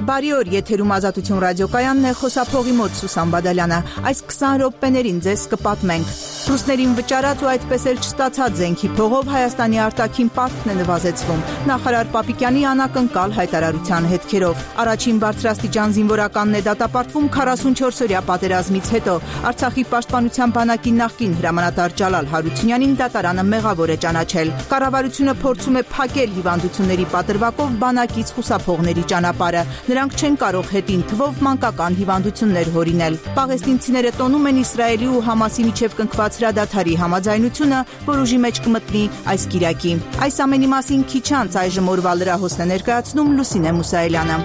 Բարի օր, եթերում Ազատություն ռադիոկայանն է, խոսափողի մոտ Սուսան Բադալյանը։ Այս 20 րոպեներին ձեզ կպատմենք։ Ռուսներին վճարած ու այդպես էլ չստացած զենքի փողով Հայաստանի արտաքին պարտքն է նվազեցվում։ Նախարար Պապիկյանի անակնկալ հայտարարության հետքերով։ Առաջին բարձրաստիճան զինվորականն է դատապարտվում 44-օրյա պատերազմից հետո։ Արցախի պաշտպանության բանակի նախկին հրամանատար Ջալալ Հարությունյանին դատարանը մեղավոր է ճանաչել։ Կառավարությունը փորձում է փակել հիվանդությունների պատրվակով բանակից խուսափողների ճանապարհը։ Նրանք չեն կարող հետին թվով մանկական հիվանդություններ հորինել։ Պաղեստինցիները տոնում են Իսրայելի ու Համասի միջև կնքված հրադադարի համաձայնությունը, որ ուժի մեջ կմտնի այս կիրակի։ Այս ամենի մասին քիչ անց այժմ օրվա լրահոսն է ներկայացնում Լուսինե Մուսայելյանը։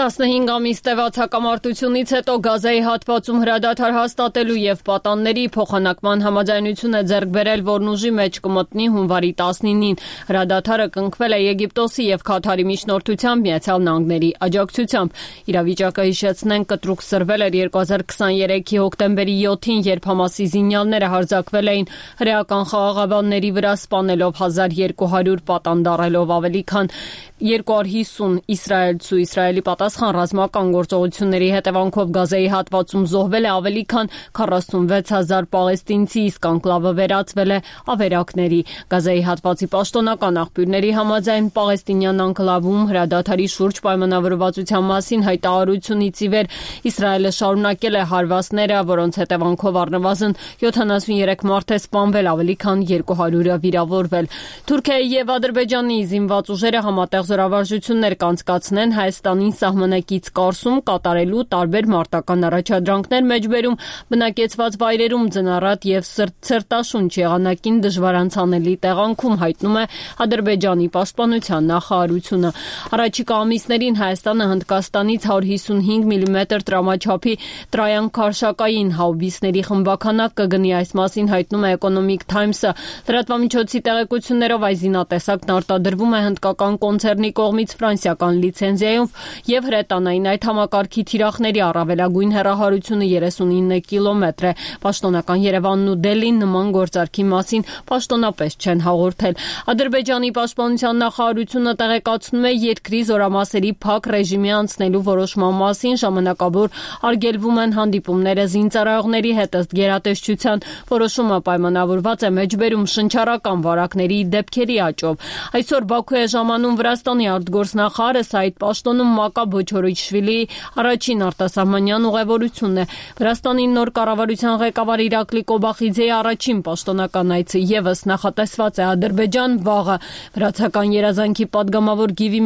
15 ամիս տևած հակամարտությունից հետո Գազայի հատվածում հրադադար հաստատելու եւ պատանների փոխանակման համաձայնություն է ձեռք բերել, որն ուժի մեջ կմտնի հունվարի 19-ին։ Հրադադարը կնքվել է Եգիպտոսի եւ Քաթարի միջնորդությամբ Միացյալ Նահանգների աջակցությամբ։ Իրավիճակը հիշեցնենք կտրուկ սրվել էր 2023-ի հոկտեմբերի 7-ին, երբ Համասի զինյալները հարձակվել էին հրեական խաղաղաբանների վրա, սպանելով 1200 պատան, դառելով ավելի քան 250 իսրայելցու։ Իսրայելի պատասխան ռազմական գործողությունների հետևանքով Գազայի հատվածում զոհվել է ավելի քան 46000 պաղեստինցի, իսկ անկլավը վերածվել է ավերակների։ Գազայի հատվածի պաշտոնական աղբյուրների համաձայն պաղեստինյան անկլավում հրադադարի շուրջ պայմանավորվածության մասին հայտարարությունից ի վեր Իսրայելը շարունակել է հարվածները, որոնց հետևանքով առնվազն 73 մարդ է սպանվել, ավելի քան 200-ը վիրավորվել։ Թուրքիայի եւ Ադրբեջանի զինված ուժերը համատեղ զորավարժություններ կանցկացնեն Հայաստանին սահմանակից կառսում կատարելու տարբեր մարտական առաջադրանքներ մեջբերում բնակեցված վայրերում ձնառատ եւ սրտաշունչ եղանակին դժվար անցանելի տեղանքում, հայտնում է Ադրբեջանի պաշտպանության նախարարությունը։ Առաջիկա ամիսներին Հայաստանը Հնդկաստանից 155 մմ տրամաչափի տրայան քարշակային հաուբիսների խմբականակ կգնի, այս մասին հայտնում է Economic Times-ը։ Լրատվամիջոցի տեղեկություններով այս զինատեսակն արտադրվում է հնդկական կոնցեռնի կողմից ֆրանսիական լիցենզիայով եւ հրետանային այդ համակարգի թիրախների առավելագույն հեռահարությունը 39 կիլոմետր է։ Պաշտոնական Երևանն ու Դելին նման գործարքի մասին պաշտոնապես չեն հաղորդել։ Ադրբեջանի պաշտպանության նախարարությունը տեղեկացնում է երկրի զորամասերի փակ ռեժիմի անցնելու որոշման մասին, ժամանակավոր արգելվում են հանդիպումները զինծառայողների հետ, ըստ գերատեսչության որոշումը պայմանավորված է մեջբերում շնչառական վարակների դեպքերի աճով։ Այսօր Բաքու է ժամանում Վրաստանի արտգործնախարարը Սայիդ Պաշտոնում Մակա Բոչորիչվիլիի առաջին արտասահմանյան ուղևորությունն է։ Վրաստանի նոր կառավարության ղեկավար Իրակլի Կոբախիձեի առաջին պաշտոնական այցը եւս նախատեսված է Ադրբեջան վաղը։ Վրացական երազանքի падգամավոր Գիվի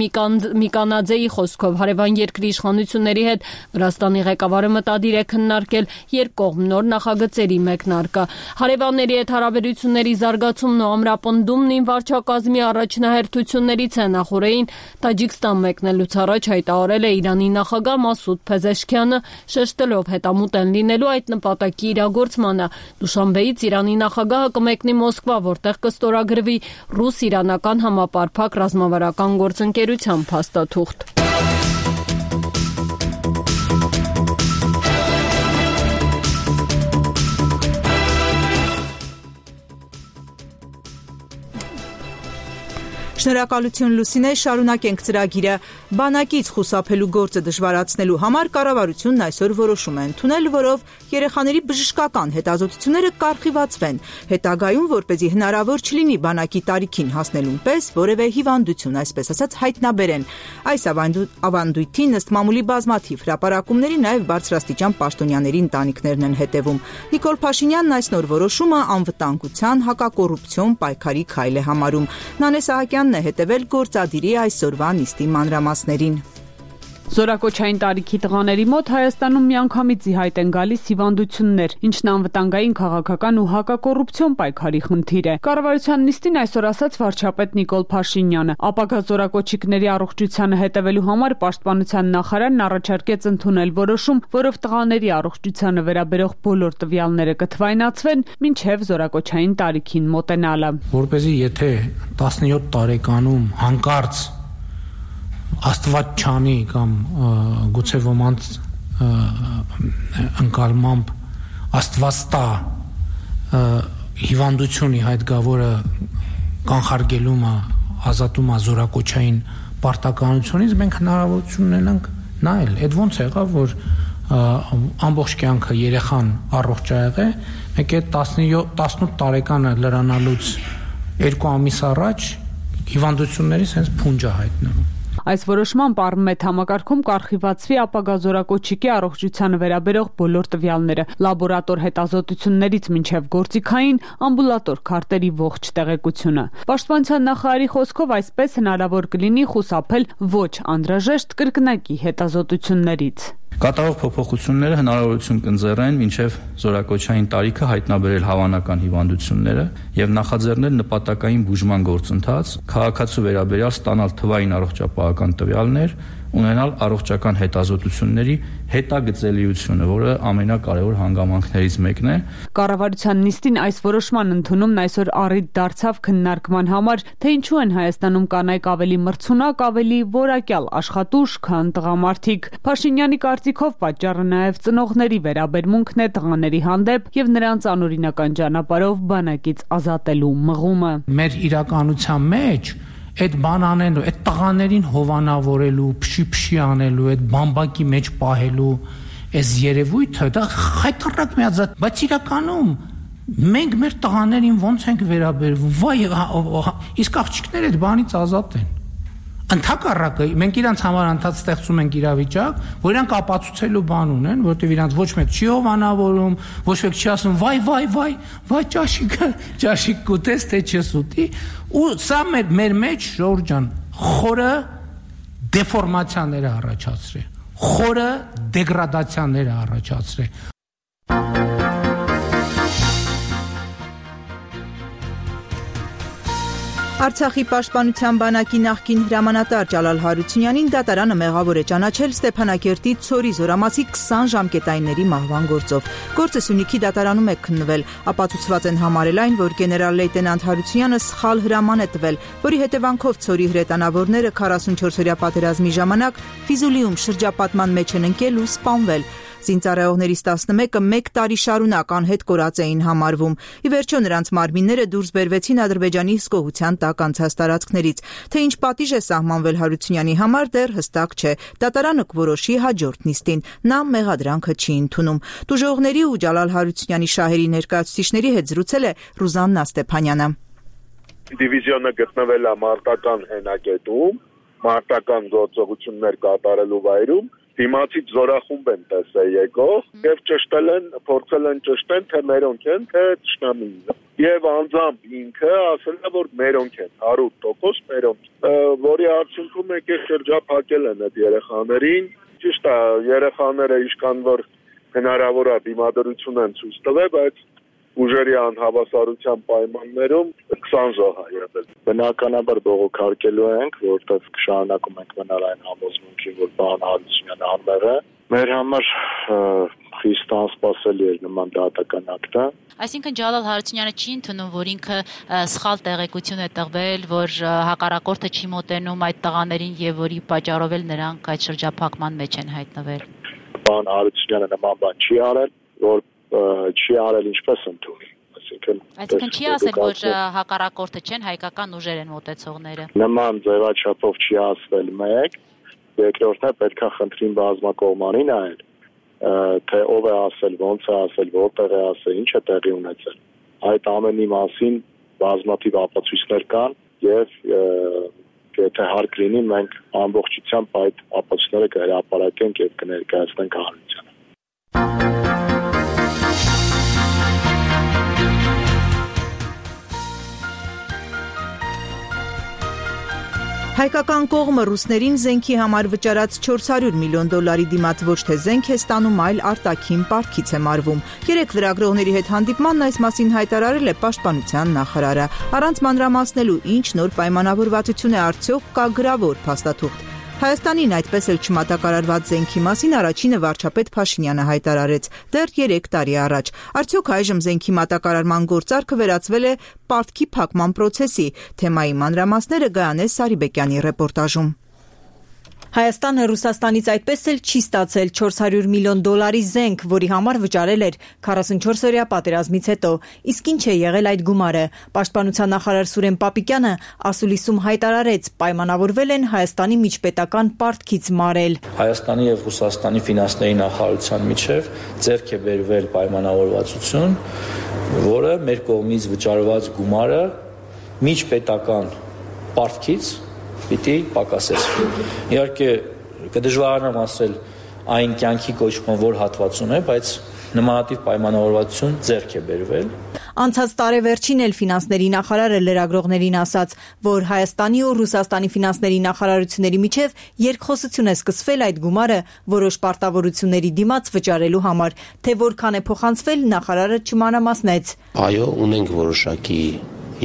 Միկանաձեի խոսքով հարևան երկրի իշխանությունների հետ Վրաստանի ղեկավարը մտադիր է քննարկել երկկողմ նոր նախագծերի մեկնարկը։ Հարևանների հետ հարաբերությունների զարգացումն ու ամրապնդումն ին վարչակազմի առաջնահերթություններից է։ Նախորդին Տաջիկստան մեկնելուց առաջ հայտարարել է Իրանի նախագահ Մասուդ Փեզեշքյանը, շեշտելով հետամուտ են լինելու այդ նպատակի իրագործմանը։ Դուշանբեից Իրանի նախագահը կմեկնի Մոսկվա, որտեղ կստորագրվի ռուս-իրանական համապարփակ ռազմավարական գործընկերության փաստաթուղթ։ Շնորհակալություն Լուսինե, շարունակենք ծրագիրը։ Բանակից խուսափելու գործը դժվարացնելու համար կառավարությունն այսօր որոշում է ընդունել, որով երեխաների բժշկական հետազոտությունները կառխիվացվեն, հետագայում որպեսզի հնարավոր չլինի բանակի տարիքին հասնելուն պես որևէ հիվանդություն, այսպես ասած, հայտնաբերեն։ Այս ավանդույթին ըստ մամուլի բազմաթիվ հրապարակումների նաև բարձրաստիճան պաշտոնյաների ընտանիքներն են հետևում։ Նիկոլ Փաշինյանն այս նոր որոշումը անվտանգության, հակակոռուպցիոն պայքարի քայլ է համարում։ Նանե Սահակյանն է հետևել գործադիրի այսօրվա նիստի մանրամասներին։ Զորակոչային տարիքի տղաների մոտ Հայաստանում միանգամից ի հայտ են գալիս հիվանդություններ, ինչն անվտանգային քաղաքական ու հակակոռուպցիոն պայքարի խնդիր է։ Կառավարության նիստին այսօր ասաց վարչապետ Նիկոլ Փաշինյանը։ Ապագա զորակոչիկների առողջությանը հետևելու համար պաշտպանության նախարարն առաջարկեց ընդունել որոշում, որով տղաների առողջությանը վերաբերող բոլոր տվյալները կթվայնացվեն մինչև զորակոչային տարիքին մոտենալը։ Որպեսզի եթե 17 տարեկանում հանկարծ Աստված չանի կամ գուցե ոմանց ընկալմամբ Աստված տա հիվանդությունի հայտ գա, որը կանխարգելումը ազատում է զորակոչային պարտականությունից, մենք հնարավորություն ունենանք նայել։ Այդ ոնց եղավ, որ ամբողջ կյանքը երեխան առողջ ա եղել, մեկ է 18 տարեկանը լրանալուց 2 ամիս առաջ հիվանդությունների sense փունջ է հայտնվում։ Այս որոշմամբ առմետ համակարգում կառխիվացվի ապագա զորակոչիկի առողջությանը վերաբերող բոլոր տվյալները, լաբորատոր հետազոտություններից մինչև գործիքային, ամբուլատոր քարտերի ողջ տեղեկությունը։ Պաշտպանության նախարարի խոսքով այսպես հնարավոր կլինի խուսափել ոչ անհրաժեշտ կրկնակի հետազոտություններից։ Կատարող փոփոխությունները հնարավորություն կընձեռեն մինչև զորակոչային տարիքը հայտնաբերել հավանական հիվանդությունները եւ նախաձեռնել նպատակային բուժման գործընթաց, քաղաքացու վերաբերյալ ստանալ թվային առողջապահական տվյալներ, ունենալ առողջական հետազոտությունների հետագծելիությունը, որը ամենակարևոր հանգամանքներից մեկն է։ Կառավարության նիստին այս որոշման ընդունումն այսօր առիթ դարձավ քննարկման համար, թե ինչու են Հայաստանում կանայք ավելի մրցունակ, ավելի որակյալ աշխատուժ, քան տղամարդիկ։ Փաշինյանի կարծիքով պատճառը նաև ծնողների վերաբերմունքն է տղաների հանդեպ եւ նրանց անօրինական ճանապարհով բանակից ազատելու մղումը։ Մեր իրականության մեջ այդ բան անելու, այդ տղաներին հովանավորելու, փշի անելու, այդ բամբակի մեջ պահելու այս երևույթը դա խայտարակ միազատ, բայց իրականում մենք մեր տղաներին ոնց ենք վերաբերվում, վայ, իսկ աղջիկները այդ բանից ազատ են։ Ընդհակառակը մենք իրանց համար անդադ ստեղծում ենք իրավիճակ, որ իրանք ապացուցելու բան ունեն, որովհետև իրանց ոչ մեկ չի հովանավորում, ոչ մեկ չի ասում վայ ճաշիկ կուտես թե չես ուտի, ու սա մեր մեջ Ժորժ ջան խորը դեֆորմացիաներ առաջացրել, խորը դեգրադացիաներ առաջացրել։ Արցախի պաշտպանության բանակի նախկին հրամանատար Ջալալ Հարությունյանին դատարանը մեղավոր է ճանաչել Ստեփանակերտի Ցորի զորամասի 20 ժամկետայինների մահվան գործով։ Գործը Սյունիքի դատարանում է քննվել, ապացուցված են համարել այն, որ գեներալ լեյտենանտ Հարությունյանը սխալ հրաման է տվել, որի հետևանքով Ցորի հրետանավորները 44-օրյա պատերազմի ժամանակ Ֆիզուլիում շրջապատման մեջ են ընկել ու սպանվել։ Զինծառայողներից 11-ը 1 տարի շարունակ անհետ կորած էին համարվում։ Ի վերջո նրանց մարմինները դուրս բերվեցին Ադրբեջանի հսկողության տակ անցած տարածքներից։ Թե ինչ պատիժ է սահմանվել Հարությունյանի համար դեռ հստակ չէ։ Դատարանը կորոշի հաջորդ նիստին։ Նա մեղադրանքը չի ընդունում։ Տուժողների ու Ջալալ Հարությունյանի շահերի ներկայացուցիչների հետ զրուցել է Ռուզաննա Ստեփանյանը։ Դիվիզիոնը գտնվել է մարտական հենակետում, մարտական գործողություններ կատարելու վայրում։ Դիմացից զորախումբ են տեսել եկող եւ փորձել են ճշտել, թե մերոնք են, թե ճշտամին։ Եվ անձամբ ինքը ասել է, որ մերոնք են, 100% մերոնք։ Որի արդյունքում եկել շրջափակել են այդ երեխաներին։ Ճիշտ է, երեխաները ինչքան որ հնարավոր է դիմադրություն են ցույց տվել, բայց ուժերի անհավասարության պայմաններում 20 ժող է եղել։ Բնականաբար բողոքարկելու ենք, որտեղ շարունակում ենք մնալ այն համոզմունքին, որ պարոն Հարությունյանը անմեղ է։ Մեր համար խիստ անսպասելի էր նման դատական ակտը։ Այսինքն Ջալալ Հարությունյանը չի ընդունում, որ ինքը սխալ տեղեկություն է տվել, որ հակառակորդը չի մոտենում այդ տղաներին եւ որի պատճառով էլ նրանք այդ շրջափակման մեջ են հայտնվել։ Պարոն Հարությունյանը նման բան չի արել, որ չի արել ինչպես ընդունի, այսինքն չի ասել, որ հակառակորդը չեն, հայկական ուժեր են մոտեցողները։ Նման ձևաչափով չի ասվել մեկ, երկրորդն է պետք է խնդրին բազմակողմանին այլ, թե ով է ասել, ոնց է ասել, որտեղ է ասել, ինչ է տեղի ունեցել։ Այդ ամենի մասին բազմաթիվ ապացույցներ կան եւ եթե հարկ լինի, մենք ամբողջությամբ այդ ապացույցները կհրապարակենք եւ կներկայացնենք հանրությանը։ Հայկական կողմը ռուսներին զենքի համար վճարած $400 միլիոն դիմաց ոչ թե զենք է ստանում, այլ արտաքին պարտքից է մարվում։ Երեք լրագրողների հետ հանդիպմանն այս մասին հայտարարել է պաշտպանության նախարարը։ Առանց մանրամասնելու ինչ նոր պայմանավորվածություն է արդյոք կա գրավոր փաստաթուղթ։ Հայաստանին այդպես էլ չմատակարարված զենքի մասին առաջինը վարչապետ Փաշինյանը հայտարարեց դեռ 3 տարի առաջ։ Արդյոք այժմ զենքի մատակարարման գործարքը վերածվել է պարտքի փակման պրոցեսի։ Թեմայի մանրամասները Գայանե Սարիբեկյանի ռեպորտաժում։ Հայաստանը Ռուսաստանից այդպես էլ չի ստացել $400 միլիոն զենք, որի համար վճարել էր 44-օրյա պատերազմից հետո։ Իսկ ինչ է եղել այդ գումարը։ Պաշտպանության նախարար Սուրեն Պապիկյանը ասուլիսում հայտարարեց, պայմանավորվել են Հայաստանի միջպետական պարտքից մարել։ Հայաստանի եւ Ռուսաստանի ֆինանսների նախարարության միջև ձեռք է բերվել պայմանավորվածություն, որը մեր կողմից վճարված գումարը միջպետական պարտքից պիտի պակասեցվի։ Իհարկե կդժվարանամ ասել այն կյանքի կոչման որ հատվածում է, բայց նմանատիպ պայմանավորվածություն ձեռք է բերվել։ Անցած տարեվերջին էլ ֆինանսների նախարարը լրագրողներին ասաց, որ Հայաստանի ու Ռուսաստանի ֆինանսների նախարարությունների միջև երկխոսություն է սկսվել այդ գումարը որոշ պարտավորությունների դիմաց վճարելու համար, թե որքան է փոխանցվել, նախարարը չմանրամասնեց։ Այո, ունենք որոշակի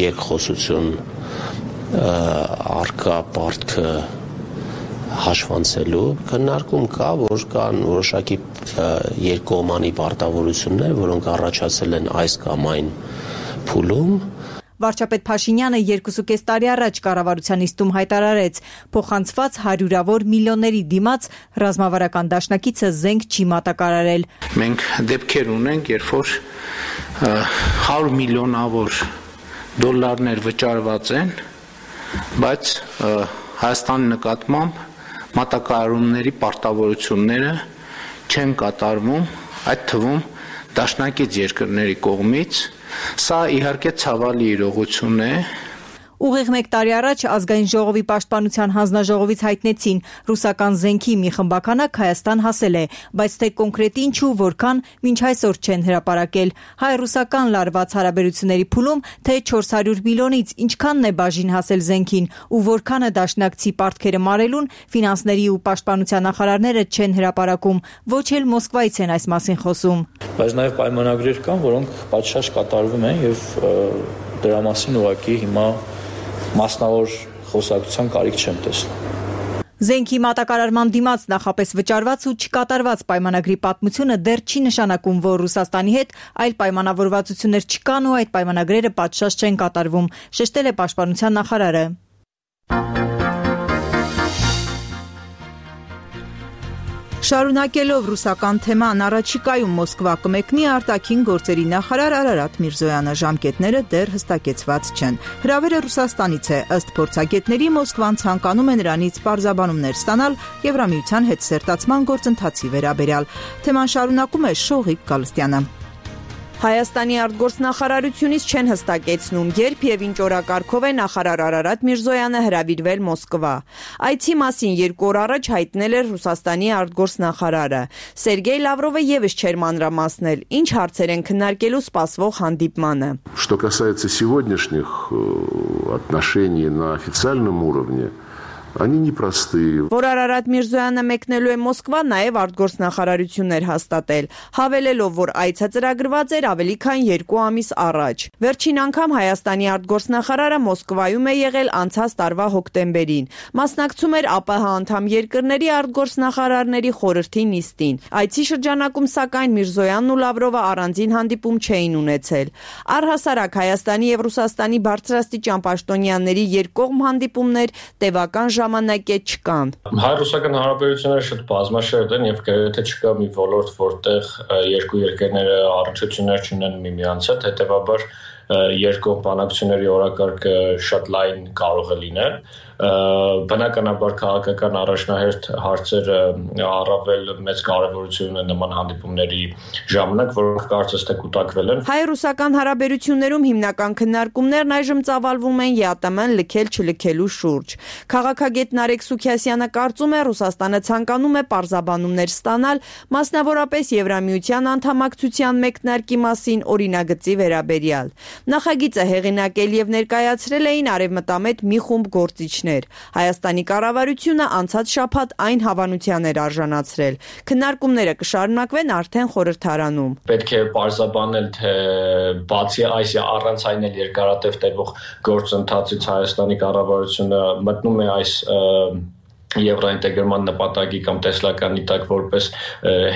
երկխոսություն արկա պարտքը հաշվանցելու քննարկում կա, որ կան որոշակի երկկողմանի պարտավորություններ, որոնք առաջացել են այս կամ այն փուլում։ Վարչապետ Փաշինյանը 2.5 տարի առաջ կառավարության նիստում հայտարարեց, փոխանցված հարյուրավոր միլիոնների դիմաց ռազմավարական դաշնակիցը զենք չի մատակարարել։ Մենք դեպքեր ունենք, երբ որ 100 միլիոնավոր դոլարներ վճարված են, բայց Հայաստանի նկատմամբ մատակարարումների պարտավորությունները չեն կատարվում, այդ թվում դաշնակից երկրների կողմից։ Սա իհարկե ցավալի իրողություն է։ Ուղիղ 1 տարի առաջ Ազգային ժողովի պաշտպանության հանձնաժողովից հայտնեցին ռուսական զենքի մի խմբականակ Հայաստան հասել է, բայց թե կոնկրետ ինչ ու որքան մինչ այսօր չեն հրապարակել։ Հայ-ռուսական լարված հարաբերությունների փուլում թե 400 միլիոնից ինչքանն է բաժին հասել զենքին ու որքանը դաշնակցի պարտքերը մարելուն ֆինանսների ու պաշտպանության նախարարները չեն հրապարակում, ոչ էլ Մոսկվայից են այս մասին խոսում։ Բայց նաև պայմանագրեր կան, որոնք պատշաճ կատարվում են եւ դրա մասին ուղղակի հիմա մասնավոր խոսակցության կարիք չեմ տեսնում։ Զենքի մատակարարման դիմաց նախապես վճարված ու չկատարված պայմանագրի պատմությունը դեռ չի նշանակում, որ Ռուսաստանի հետ այլ պայմանավորվածություններ չկան ու այդ պայմանագրերը պատշաճ չեն կատարվում, շեշտել է պաշտպանության նախարարը։ Շարունակելով ռուսական թեման, առաջիկայում Մոսկվա կմեկնի արտաքին գործերի նախարար Արարատ Միրզոյանը, ժամկետները դեռ հստակեցված չեն։ Հրավերը Ռուսաստանից է, ըստ փորձագետների Մոսկվան ցանկանում է նրանից պարզաբանումներ ստանալ Եվրամիության հետ սերտացման գործընթացի վերաբերյալ։ Թեման շարունակում է Շողիկ Գալստյանը։ Հայաստանի արտգործնախարարությունից չեն հստակեցնում, երբ եւ ինչ օրակարգով է նախարար Արարատ Միրզոյանը հրավիրվել Մոսկվա։ Այցի մասին 2 օր առաջ հայտնել էր Ռուսաստանի արտգործնախարարը։ Սերգեյ Լավրովը եւս չէր մանրամասնել, ինչ հարցեր են քննարկելու սպասվող հանդիպմանը։ Что касается сегодняшних отношений на официальном уровне, они непростые. Որ Արարատ Միրզոյանը մեկնելու է Մոսկվա, նաև արտգործնախարարություններ հաստատել, հավելելով, որ այցը ծրագրված էր ավելի քան 2 ամիս առաջ։ Վերջին անգամ Հայաստանի արտգործնախարարը Մոսկվայում է եղել անցած տարվա հոկտեմբերին։ Մասնակցում էր ԱՊՀ անդամ երկրների արտգործնախարարների խորհրդի նիստին։ Այցի շրջանակում սակայն Միրզոյանն ու Լավրովը առանձին հանդիպում չէին ունեցել։ Առհասարակ Հայաստանի եւ Ռուսաստանի բարձրաստիճան պաշտոնյաների երկկողմ հանդիպումներ տևական ժամանակ է չկան։ Հայ-ռուսական հարաբերությունները շատ բազմաշերտ են եւ գրեթե չկա մի ոլորտ, որտեղ երկու երկրները առնչություններ չունեն միմյանց հետ, հետեւաբար երկկողմ բանակցությունների օրակարգը շատ լայն կարող է լինել։ Բնականաբար քաղաքական առաջնահերթ հարցերը առավել մեծ կարևորություն ունեն նման հանդիպումների ժամանակ, որոնք կարծես թե կուտակվել են։ Հայ-ռուսական հարաբերություններում հիմնական քննարկումներն այժմ ծավալվում են ԵԱՏՄ-ն լքել-չլքելու շուրջ։ Քաղաքագետ Նարեկ Սուքիասյանը կարծում է, Ռուսաստանը ցանկանում է պարզաբանումներ ստանալ, մասնավորապես Եվրամիության անդամակցության մեկնարկի մասին օրինագծի վերաբերյալ։ Նախագիծը հեղինակել եւ ներկայացրել էին արևմտամետ մի խումբ գործիչներ։ Հայաստանի կառավարությունը անցած շաբաթ այն հավանության էր արժանացրել։ Քննարկումները կշարունակվեն արդեն խորհրդարանում։ Պետք է պարզաբանել, թե բացի այս առանց այն էլ երկարատև տևող գործընթացից Հայաստանի կառավարությունը մտնում է այս եվրոինտեգրման նպատակի կամ տեսլականի տակ որպես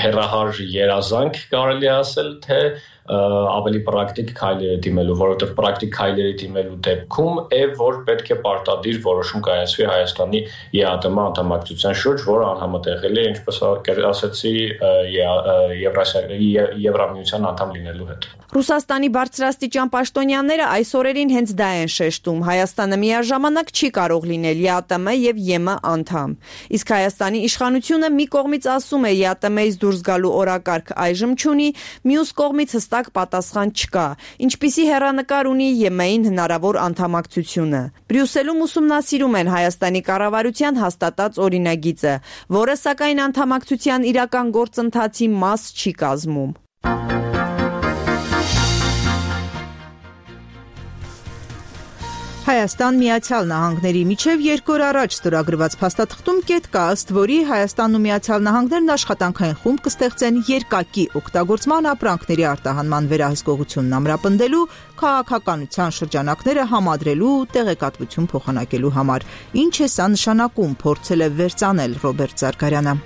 հերահար երազանք կարելի ասել, թե ավելի պրակտիկ քայլերը դիմելու, որովհետև պրակտիկ քայլերի դիմելու դեպքում որ պետք է պարտադիր որոշում կայացվի Հայաստանի ԵԱՏՄ անդամակցության շուրջ, որը անհամատեղելի է, ինչպես ասացի, Եվրամիության անդամ լինելու հետ։ Ռուսաստանի բարձրաստիճան պաշտոնյաները այս օրերին հենց դա են շեշտում. Հայաստանը միաժամանակ չի կարող լինել ԵԱՏՄ եւ ԵՄ անդամ։ Իսկ Հայաստանի իշխանությունը մի կողմից ասում է ԵԱՏՄ-ից դուրս գալու օրակարգ այժմ չունի, մյուս կողմից հստակ պատասխան չկա, ինչպիսի հեռանկար ունի ԵՄ-ին հնարավոր անդամակցությունը։ Բրյուսելում ուսումնասիրում են Հայաստանի կառավարության հաստատած օրինագիծը, որը սակայն անդամակցության իրական գործընթացի մաս չի կազմում։ Հայաստան Միացյալ Նահանգների միջև 2 օր առաջ ստորագրված փաստաթղթում կետ կա, ըստ որի Հայաստանն ու Միացյալ Նահանգներն աշխատանքային խումբ կստեղծեն երկակի օգտագործման ապրանքների արտահանման վերահսկողությունն ամրապնդելու, քաղաքականության շրջանակները համադրելու ու տեղեկատվություն փոխանակելու համար։ Ինչ է սա նշանակում, փորձել է վերծանել Ռոբերտ Զարգարյանը։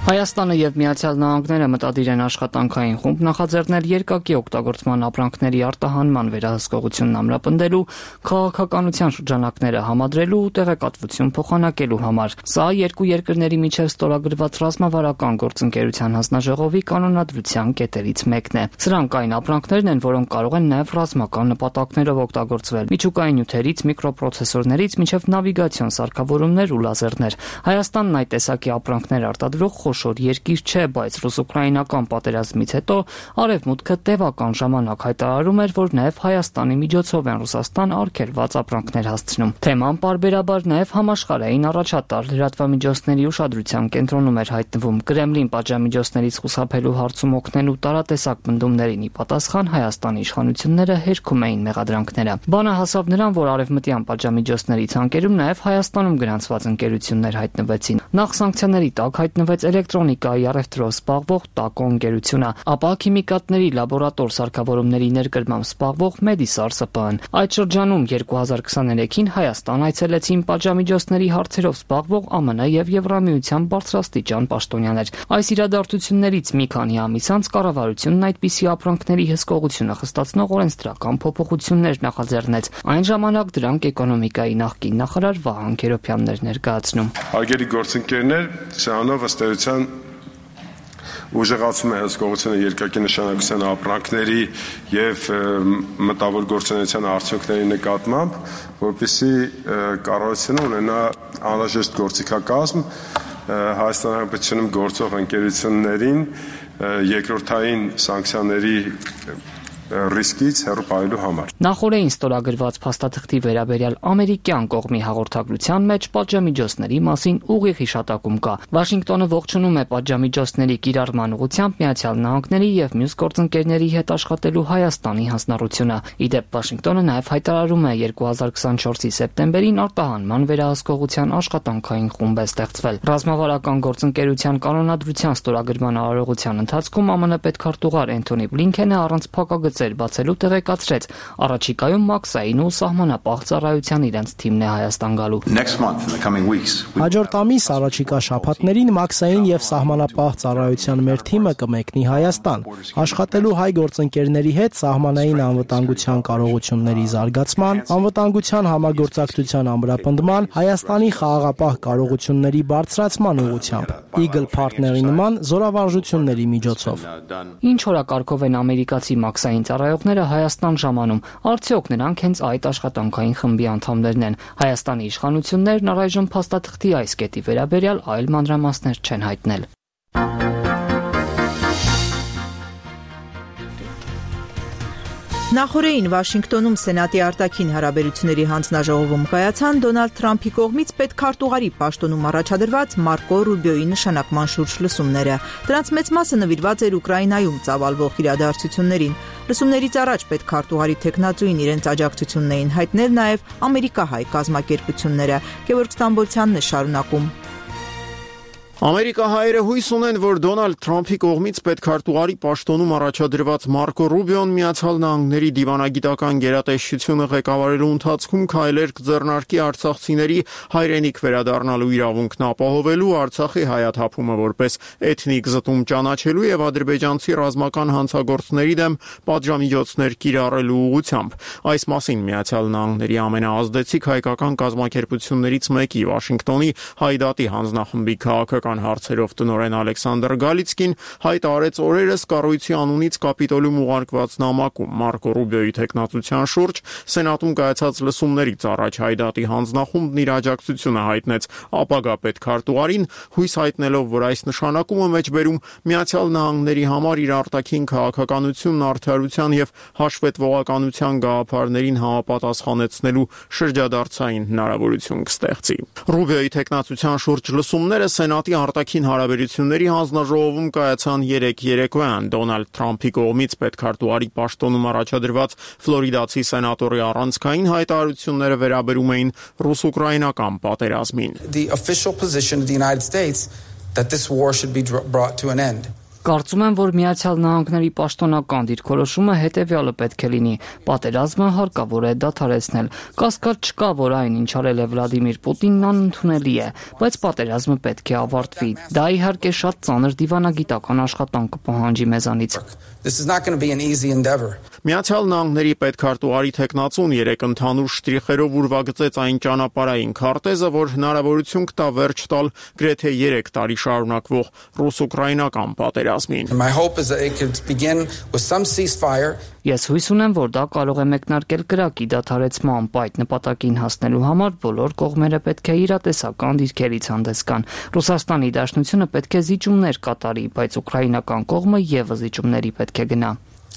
Հայաստանը եւ Միացյալ Նահանգները մտադիր են աշխատանքային խումբ նախաձեռնել երկակի օգտագործման ապրանքների արտահանման վերահսկողությունն ամրապնդելու, քաղաքականության շրջանակները համադրելու ու տեղեկատվություն փոխանակելու համար։ Սա երկու երկրների միջև ստորագրված ռազմավարական գործընկերության հանձնաժողովի կանոնադրության կետերից մեկն է։ Սրանք այն ապրանքներն են, որոնք կարող են նաեւ ռազմական նպատակներով օգտագործվել՝ միջուկային նյութերից, միկրոպրոցեսորներից մինչև նավիգացիոն սարքավորումներ ու լազերներ։ Հայաստանն այդ տեսակի ապրանքներ արտադրող խոշոր երկիր չէ, բայց ռուս-ուկրաինական պատերազմից հետո Արևմուտքը տևական ժամանակ հայտարարում էր, որ նաև Հայաստանի միջոցով են Ռուսաստան արգելված ապրանքներ հասցնում։ Թեման պարբերաբար նաև համաշխարհային առաջատար լրատվամիջոցների ուշադրության կենտրոնում էր հայտնվում։ Կրեմլին պատժամիջոցներից խուսափելու հարցում օգնելու տարատեսակ պնդումներին ի պատասխան Հայաստանի իշխանությունները հերքում էին մեղադրանքները։ Բանը հասավ նրան, որ արևմտյան պատժամիջոցների ցանկերում նաև Հայաստանում գրանցված ընկերություններ հայտնվեցին։ Նախ սանկցիաների տակ հայտնվեց էլեկտրոնիկայի առևտրով զբաղվող ՏԱԿՕ ընկերությունը, ապա քիմիկատների լաբորատոր սարքավորումների ներկրմամբ զբաղվող Մեդիսար ՍՊԸ-ն։ Այդ շրջանում 2023-ին Հայաստան այցելեցին պատժամիջոցների հարցերով զբաղվող ԱՄՆ եւ Եվրամիության բարձրաստիճան պաշտոնյաներ։ Այս իրադարձություններից մի քանի ամիս անց կառավարությունն այդպիսի ապրանքների հսկողությունը խստացնող օրենսդրական փոփոխություններ նախաձեռնեց։ Այն ժամանակ դրանք էկոնոմիկայի նախկին նախարար Վահան Քերոբյանն էր ներկայացնում։ Արգելի գործընկերներ, սրանով ըստ էության ուժեղացում է հսկողությունը երկակի նշանակության ապրանքների եւ մտավոր գործունեության արդյունքների նկատմամբ, որպեսզի կառավարությունը ունենա անհրաժեշտ գործիքակազմ Հայաստանի Հանրապետությունում գործող ընկերություններին երկրորդային սանկցիաների ռիսկից հեռու պահելու համար։ Նախորդին ստորագրված փաստաթղթի վերաբերյալ ամերիկյան կողմի հաղորդագրության մեջ պատժամիջոցների մասին ուղիղ հիշատակում կա։ Վաշինգտոնը ողջունում է պատժամիջոցների կիրառման ուղղությամբ Միացյալ Նահանգների եւ մյուս գործընկերների հետ աշխատելու Հայաստանի հանձնառությունը։ Ի դեպ, Վաշինգտոնը նաեւ հայտարարում է 2024-ի սեպտեմբերին արտահանման վերահսկողության աշխատանքային խումբ է ստեղծվել։ Ռազմավարական գործընկերության կանոնադրության ստորագրման արարողության ընթացքում ԱՄՆ պետքարտուղար Էնթոնի Բլինքենը առանց փակագծեր բացելու տեղեկացրեց, առաջիկայում մաքսային ու սահմանապահ ծառայության իրենց թիմն է Հայաստան գալու։ Հաջորդ ամիս առաջիկա շաբաթներին մաքսային եւ սահմանապահ ծառայության մեր թիմը կմեկնի Հայաստան, աշխատելու հայ գործընկերների հետ սահմանային անվտանգության կարողությունների զարգացման, անվտանգության համագործակցության ամրապնդման, Հայաստանի խաղաղապահ կարողությունների բարձրացման ուղղությամբ, Eagle Partner-ի նման զորավարժությունների միջոցով։ Ինչ օրակարգով են ամերիկացի մաքսային ծառայողները Հայաստան ժամանում, արդյոք նրանք հենց այդ աշխատանքային խմբի անդամներն են։ Հայաստանի իշխանություններն առայժմ փաստաթղթի այս կետի վերաբերյալ այլ մանրամասներ չեն հայտնել։ Նախորդին Վաշինգտոնում Սենատի արտաքին հարաբերությունների հանձնաժողովում կայացան Դոնալդ Թրամփի կողմից պետքարտուղարի պաշտոնում առաջադրված Մարկո Ռուբիոյի նշանակման շուրջ լսումները։ Դրանց մեծ մասը նվիրված էր Ուկրաինայում ծավալվող իրադարձություններին։ Լսումներից առաջ պետքարտուղարի տեխնացուին իրենց աջակցությունն էին հայտնել նաև ամերիկահայ կազմակերպությունները։ Գևորգ Ստամբոլցյանն է շարունակում։ Ամերիկահայերը հույս ունեն, որ Դոնալդ Թրամփի կողմից պետքարտուղարի պաշտոնում առաջադրված Մարկո Ռուբիոն Միացյալ Նահանգների դիվանագիտական գերատեսչությունը ղեկավարելու ընթացքում քայլեր կձեռնարկի արցախցիների հայրենիք վերադառնալու իրավունքն ապահովելու, Արցախի հայաթափումը որպես էթնիկ զտում ճանաչելու եւ ադրբեջանցի ռազմական հանցագործների դեմ պատժամիջոցներ կիրառելու ուղղությամբ։ Այս մասին Միացյալ Նահանգների ամենաազդեցիկ հայկական կազմակերպություններից մեկի Վաշինգտոնի Հայդատի հանձնախմբի քաղաքական հարցերով տնօրեն Ալեքսանդր Գալիցկին հայտարարեց օրերս կառույցի անունից Կապիտոլիում ուղարկված նամակում Մարկո Ռուբիոյի թեկնածության շուրջ Սենատում կայացած լսումներից առաջ Հայդատի հանձնախումբն իր աջակցությունը հայտնեց ապագա պետքարտուղարին, հույս հայտնելով, որ այս նշանակումը մեջբերում Միացյալ Նահանգների համար իր արտաքին քաղաքականությունն արդարության եւ հաշվետվողականության գաղափարներին համապատասխանեցնելու շրջադարձային հնարավորություն կստեղծի։ Ռուբիոյի թեկնածության շուրջ լսումները Սենատի արտաքին հարաբերությունների հանձնաժողովում կայացան 3 երեկոյան Դոնալդ Թրամփի կողմից պետքարտուղարի պաշտոնում առաջադրված ֆլորիդացի սենատորի առանցքային հայտարարությունները վերաբերում էին ռուս-ուկրաինական պատերազմին։ The official position of the United States that this war should be brought to an end. Կարծում եմ, որ Միացյալ Նահանգների պաշտոնական դիրքորոշումը հետևյալը պետք է լինի. պատերազմը հարկավոր է դադարեցնել։ Կասկած չկա, որ այն, ինչ արել է Վլադիմիր Պուտինն, անընդունելի է, բայց պատերազմը պետք է ավարտվի։ Դա իհարկե շատ ծանր դիվանագիտական աշխատանք կպահանջի մեզանից։ This is not going to be an easy endeavor. Միացյալ Նահանգների պետքարտուղարի թեկնածուն 3 ընդհանուր շտրիխերով ուրվագծեց այն ճանապարհային քարտեզը, որ հնարավորություն կտա վերջ տալ գրեթե 3 տարի շարունակվող ռուս-ուկրաինական պատերազմին։ My hope is that it could begin with some ceasefire. Ես հույս ունեմ, որ դա կարող է մեկնարկել կրակի դադարեցման այդ նպատակին հասնելու համար բոլոր կողմերը պետք է իրատեսական դիրքերից հանդես գան։ Ռուսաստանի Դաշնությունը պետք է զիջումներ կատարի, բայց ուկրաինական կողմը եւս զիջումների պետք է գնա։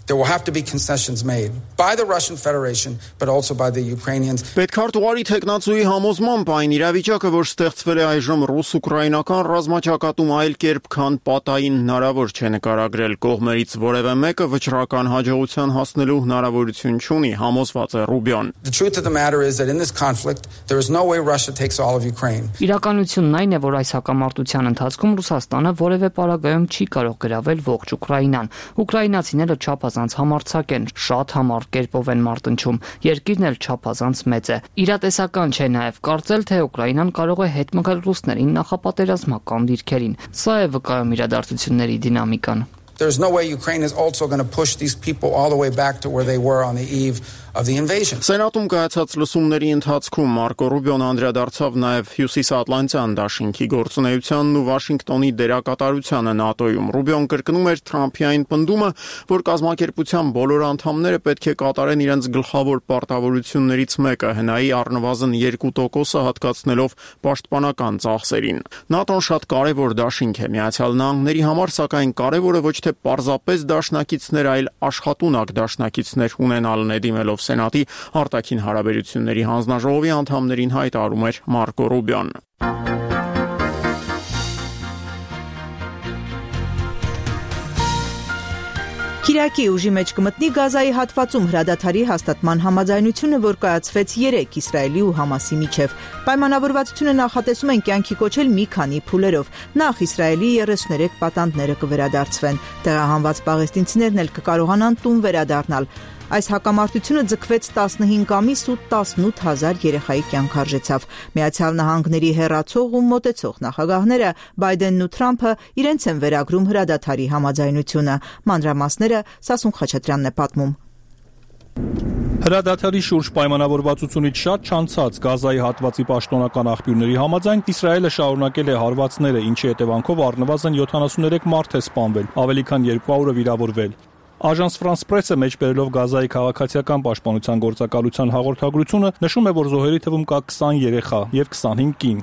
There will have to be concessions made by the Russian Federation, but also by the Ukrainians. Պետքարտուղարի թեկնածուի համոզմամբ այն իրավիճակը, որ ստեղծվել է այժմ ռուս-ուկրաինական ռազմաճակատում այլ կերպ, քան պատային հնարավոր չէ նկարագրել կողմերից որևէ մեկը վճռական հաջողության հասնելու հնարավորություն չունի, համոզված է Ռուբիոն։ The truth of the matter is that in this conflict there is no way Russia takes all of Ukraine. Իրականությունն այն է, որ այս հակամարտության ընթացքում Ռուսաստանը որևէ պարագայում չի կարող գրավել ողջ Ուկրաինան։ Ուկրաինացիները չափազանց համարձակ են, շատ համառ կերպով են մարտնչում, երկիրն էլ չափազանց մեծ է։ Իրատեսական չէ նաև կարծել, թե Ուկրաինան կարող է հետ մղել ռուսներին նախապատերազմական դիրքերին։ Սա է վկայում իրադարձությունների դինամիկան։ There's no way Ukraine is also going to push these people all the way back to where they were on the eve of the invasion. Սենատում կայացած լսումների ընթացքում Մարկո Ռուբիոն անդրադարձավ նաև Հյուսիսատլանտյան դաշինքի գործունեությանն ու Վաշինգտոնի դերակատարությանը ՆԱՏՕ-ում։ Ռուբիոն կրկնում էր Թրամփի այն պնդումը, որ կազմակերպության բոլոր անդամները պետք է կատարեն իրենց գլխավոր պարտավորություններից մեկը՝ հնայի առնվազն 2%-ը հատկացնելով պաշտպանական ծախսերին։ ՆԱՏՕ-ն շատ կարևոր դաշինք է Միացյալ Նահանգների համար, սակայն կարևորը ոչ թե պարզապես դաշնակիցներ, այլ աշխատունակ դաշնակիցներ ունենալն է, դիմելով Սենատի արտաքին հարաբերությունների հանձնաժողովի անդամներին հայտարարում էր Մարկո Ռուբիոն։ Կիրակի ուժի մեջ կմտնի Գազայի հատվածում հրադադարի հաստատման համաձայնությունը, որ կայացվեց 3 Իսրայելի ու Համասի միջև։ Պայմանավորվածությունը նախատեսում են կյանքի կոչել մի քանի փուլերով։ Նախ Իսրայելի 33 պատանդները կվերադարձվեն։ Տեղահանված պաղեստինցիներն էլ կկարողանան տուն վերադառնալ։ Այս հակամարտությունը ձգվեց 15 ամիս ու 18000 երեխայի կյանք արժեցավ։ Միացյալ Նահանգների հեռացող ու մոտեցող նախագահները Բայդենն ու Թրամփը իրենց են վերագրում հրադադարի համաձայնությունը։ Մանրամասները Սասուն Խաչատրյանն է պատմում։ Հրադադարի շուրջ պայմանավորվածությունից շատ չանցած Գազայի հատվածի պաշտոնական աղբյուրների համաձայն Իսրայելը շարունակել է հարվածները, ինչի հետևանքով առնվազն 73 մարդ է սպանվել, ավելի քան 200-ը վիրավորվել։ Agence France-Presse-ը մեջբերելով Գազայի քաղաքացիական պաշտպանության գործակալության հաղորդագրությունը նշում է, որ զոհերի թվում կա 20 երեխա եւ 25 կին։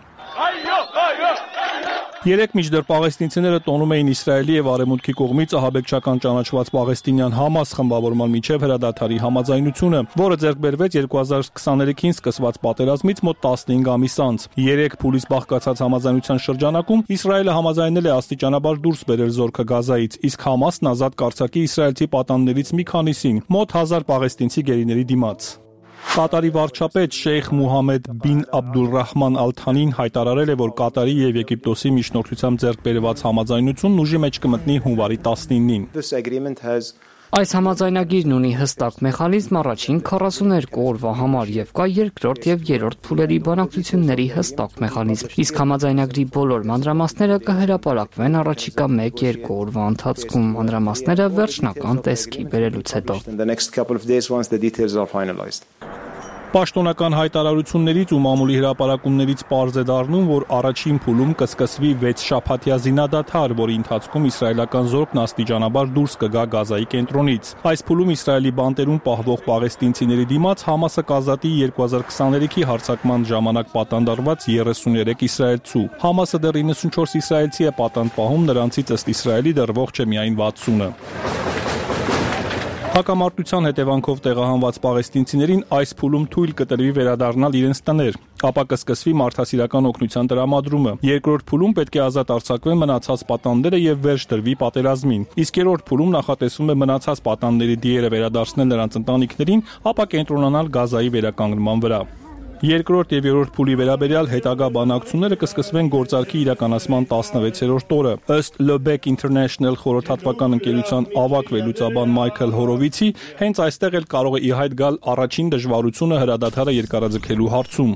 Երեք միջդեռ պաղեստինցիները տոնում էին Իսրայելի եւ Արևմուտքի կողմից ահաբեկչական ճանաչված պաղեստինյան Համաս խմբավորման միջև հրադադարի համաձայնությունը, որը ձեռք բերվեց 2023-ին սկսված պատերազմից մոտ 15 ամիս անց։ 3 փուլից բաղկացած համաձայնության շրջանակում Իսրայելը համաձայնել է աստիճանաբար դուրս բերել զորքը Գազայից, իսկ Համասն ազատ կարձակի իսրայելցի պատանդներից մի քանիսին, մոտ 1000 պաղեստինցի գերիների դիմաց։ Կատարի վարչապետ Շեյխ Մուհամմեդ բին Աբդուլռահման Ալ-Թանին հայտարարել է, որ Կատարի եւ Եգիպտոսի միջնորդությամբ ձեռք բերված համաձայնությունն ուժի մեջ կմտնի հունվարի 19-ին։ Այս համաձայնագիրն ունի հստակ մեխանիզմ առաջին 42 օրվա համար եւ կա երկրորդ եւ երրորդ փուլերի բանակցությունների հստակ մեխանիզմ։ Իսկ համաձայնագրի բոլոր մանրամասները կհրապարակվեն առաջիկա 1-2 օրվա ընթացքում մանրամասները վերջնական տեսքի բերելուց հետո։ Պաշտոնական հայտարարություններից ու մամուլի հրապարակումներից պարզ է դառնում, որ առաջին փուլում կսկսվի 6 շաբաթյա զինադադար, որի ընթացքում իսրայելական զորքն աստիճանաբար դուրս կգա Գազայի կենտրոնից։ Այս փուլում Իսրայելի բանտերում պահվող պաղեստինցիների դիմաց Համասը կազատի 2023-ի հարձակման ժամանակ պատանդարված 33 իսրայելցու։ Համասը դեռ 94 իսրայելցի է պատանդ պահում, նրանցից ըստ Իսրայելի դեռ ողջ է միայն 60-ը։ Հակամարտության հետևանքով տեղահանված պաղեստինցիներին այս փուլում թույլ կտրվի վերադառնալ իրենց տներ, ապա կսկսվի մարդասիրական օգնության տրամադրումը։ Երկրորդ փուլում պետք է ազատ արձակվեն մնացած պատանդները եւ վերջ դրվի պատերազմին։ Իսկ երրորդ փուլում նախատեսվում է մնացած պատանդների դիերը վերադարձնել նրանց ընտանիքներին, ապա կենտրոնանալ Գազայի վերականգնման վրա։ Երկրորդ եւ երրորդ փուլի վերաբերյալ հետագա բանակցությունները կսկսվեն գործարքի իրականացման 16-րդ օրը։ Ըստ Lebec International խորհրդատվական ընկերության ավագ վերլուծաբան Մայքլ Հորովիցի, հենց այստեղ էլ կարող է ի հայտ գալ առաջին դժվարությունը հրադադարը երկարաձգելու հարցում։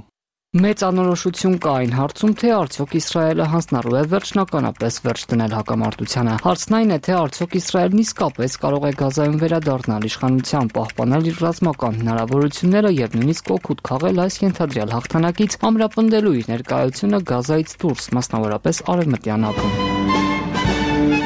Մեծ անորոշություն կա այն հարցում, թե արդյոք Իսրայելը հանձնարարու է վերջնականապես վերջ դնել հակամարտությանը։ Հարցն այն է, թե արդյոք Իսրայելն իսկապես կարող է Գազայում վերադառնալ իշխանության, պահպանել իր ռազմական հնարավորությունները եւ նույնիսկ օգուտ քաղել այս ենթադրյալ հաղթանակից, ամրապնդելու իր ներկայությունը Գազայից դուրս, մասնավորապես արևմտյան ափում։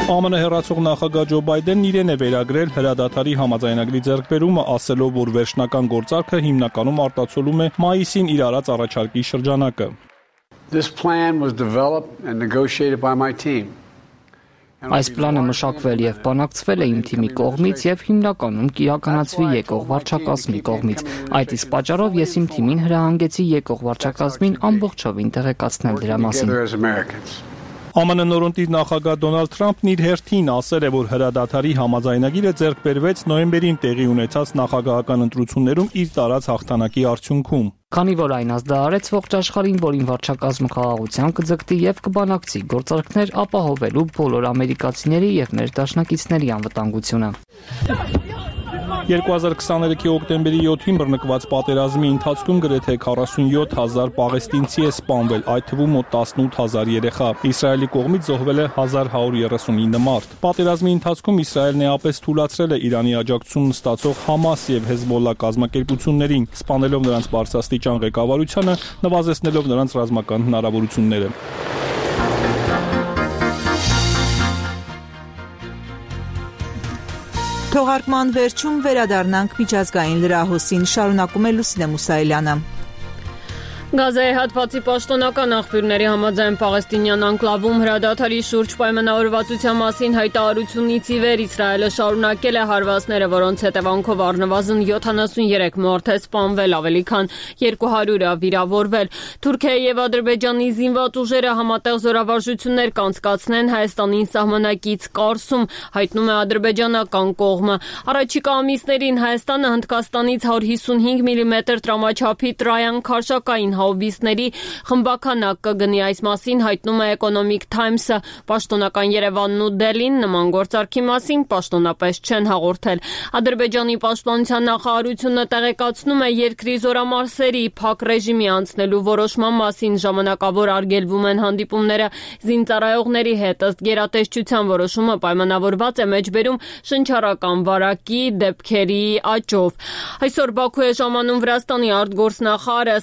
ԱՄՆ հեռացող նախագահ Ջո Բայդենն իրեն է վերագրել հրադադարի համաձայնագրի ձեռքբերումը, ասելով, որ վերջնական գործարքը հիմնականում արտացոլում է մայիսին իր արած առաջարկի շրջանակը։ Այս պլանը մշակվել եւ բանակցվել է իմ թիմի կողմից եւ հիմնականում կիրականացվի եկող վարչակազմի կողմից։ Այդ իսկ պատճառով ես իմ թիմին հրահանգեցի եկող վարչակազմին ամբողջովին տեղեկացնել դրա մասին։ ԱՄՆ նորընտիր նախագահ Դոնալդ Թրամփն իր հերթին ասել է, որ հրադադարի համաձայնագիրը ձեռք բերվեց նոյեմբերին տեղի ունեցած նախագահական ընտրություններում իր տարած հաղթանակի արդյունքում։ Քանի որ այն ազդարարեց ողջ աշխարհին, որին վարչակազմը խաղաղության կձգտի եւ կբանակցի գործարքներ ապահովելու բոլոր ամերիկացիների եւ մեր դաշնակիցների անվտանգությունը։ 2023-ի հոկտեմբերի 7-ին բռնկված պատերազմի ընթացքում գրեթե 47,000 պաղեստինցի է սպանվել, այդ թվում մոտ 18,000 երեխա։ Իսրայելի կողմից զոհվել է 1139 մարդ։ Պատերազմի ընթացքում Իսրայելն էապես թույլատրել է Իրանի աջակցությունն ստացող Համաս եւ Հեզբոլլա կազմակերպություններին, սպանելով նրանց բարձրաստիճան ղեկավարությանը, նվազեցնելով նրանց ռազմական հնարավորությունները։ Թողարկման վերջում վերադառնանք միջազգային լրահոսին, շարունակում է Լուսինե Մուսայելյանը։ Գազայի հատվածի պաշտոնական աղբյուրների համաձայն պաղեստինյան անկլավում հրադադարի շուրջ պայմանավորվածության մասին հայտարարությունից ի վեր Իսրայելը շարունակել է հարվածները, որոնց հետևանքով առնվազն 73 մարդ է սպանվել, ավելի քան 200-ը վիրավորվել։ Թուրքիայի եւ Ադրբեջանի զինված ուժերը համատեղ զորավարժություններ կանցկացնեն Հայաստանի սահմանակից Կարսում, հայտնում է ադրբեջանական կողմը։ Առաջիկա ամիսներին Հայաստանը Հնդկաստանից 155 մմ տրամաչափի տրայան քարշակային հաուբիսների խմբականակ կգնի, այս մասին հայտնում է Economic Times-ը։ Պաշտոնական Երևանն ու Դելին նման գործարքի մասին պաշտոնապես չեն հաղորդել։ Ադրբեջանի պաշտպանության նախարարությունը տեղեկացնում է երկրի զորամասերի փակ ռեժիմի անցնելու որոշման մասին, ժամանակավոր արգելվում են հանդիպումները զինծառայողների հետ, ըստ գերատեսչության որոշումը պայմանավորված է մեջբերում շնչառական վարակի դեպքերի աճով։ Այսօր Բաքու է ժամանում Վրաստանի արտգործնախարարը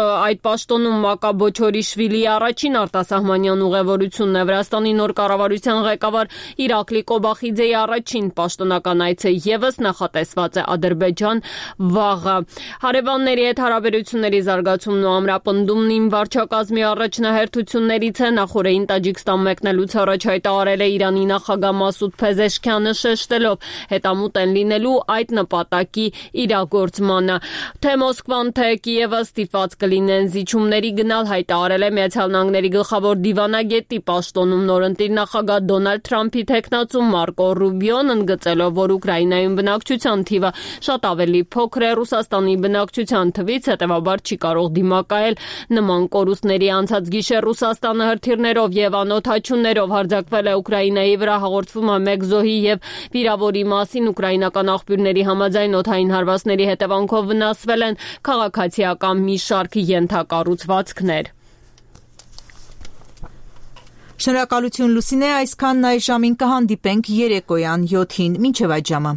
այդ պաշտոնում Մակաբոչորիշվիլիի առաջին արտասահմանյան ուղևորությունն է։ Վրաստանի նոր կառավարության ղեկավար Իրակլի Կոբախիձեի առաջին պաշտոնական այցը ևս նախատեսված է Ադրբեջան վաղը։ Հարևանների հետ հարաբերությունների զարգացումն ու ամրապնդումն իմ վարչակազմի առաջնահերթություններից է, նախորդին Տաջիկստան մեկնելուց առաջ հայտարարել է Իրանի նախագահ Մասուդ Փեզեշքյանը, շեշտելով հետամուտ են լինելու այդ նպատակի իրագործմանը։ Թե Մոսկվան, թե Կիևը ստիպված կլինի կլինեն զիջումների գնալ, հայտարարել է Միացյալ Նահանգների գլխավոր դիվանագետի պաշտոնում նորընտիր նախագահ Դոնալդ Թրամփի թեկնածու Մարկո Ռուբիոն, ընդգծելով, որ Ուկրաինայում բնակչության թիվը շատ ավելի փոքր է Ռուսաստանի բնակչության թվից, հետևաբար չի կարող դիմակայել նման կորուստների։ Անցած գիշեր Ռուսաստանը հրթիռներով եւ անօդաչուներով հարձակվել է Ուկրաինայի վրա, հաղորդվում է մեկ զոհի եւ վիրավորի մասին։ Ուկրաինական աղբյուրների համաձայն օդային հարվածների հետևանքով վնասվել են քաղաքացիական մի շարք ենթակառուցվածքներ։ Շնորհակալություն Լուսինե, այսքանն այս ժամին կհանդիպենք երեկոյան 7-ին, մինչև այդ ժամը։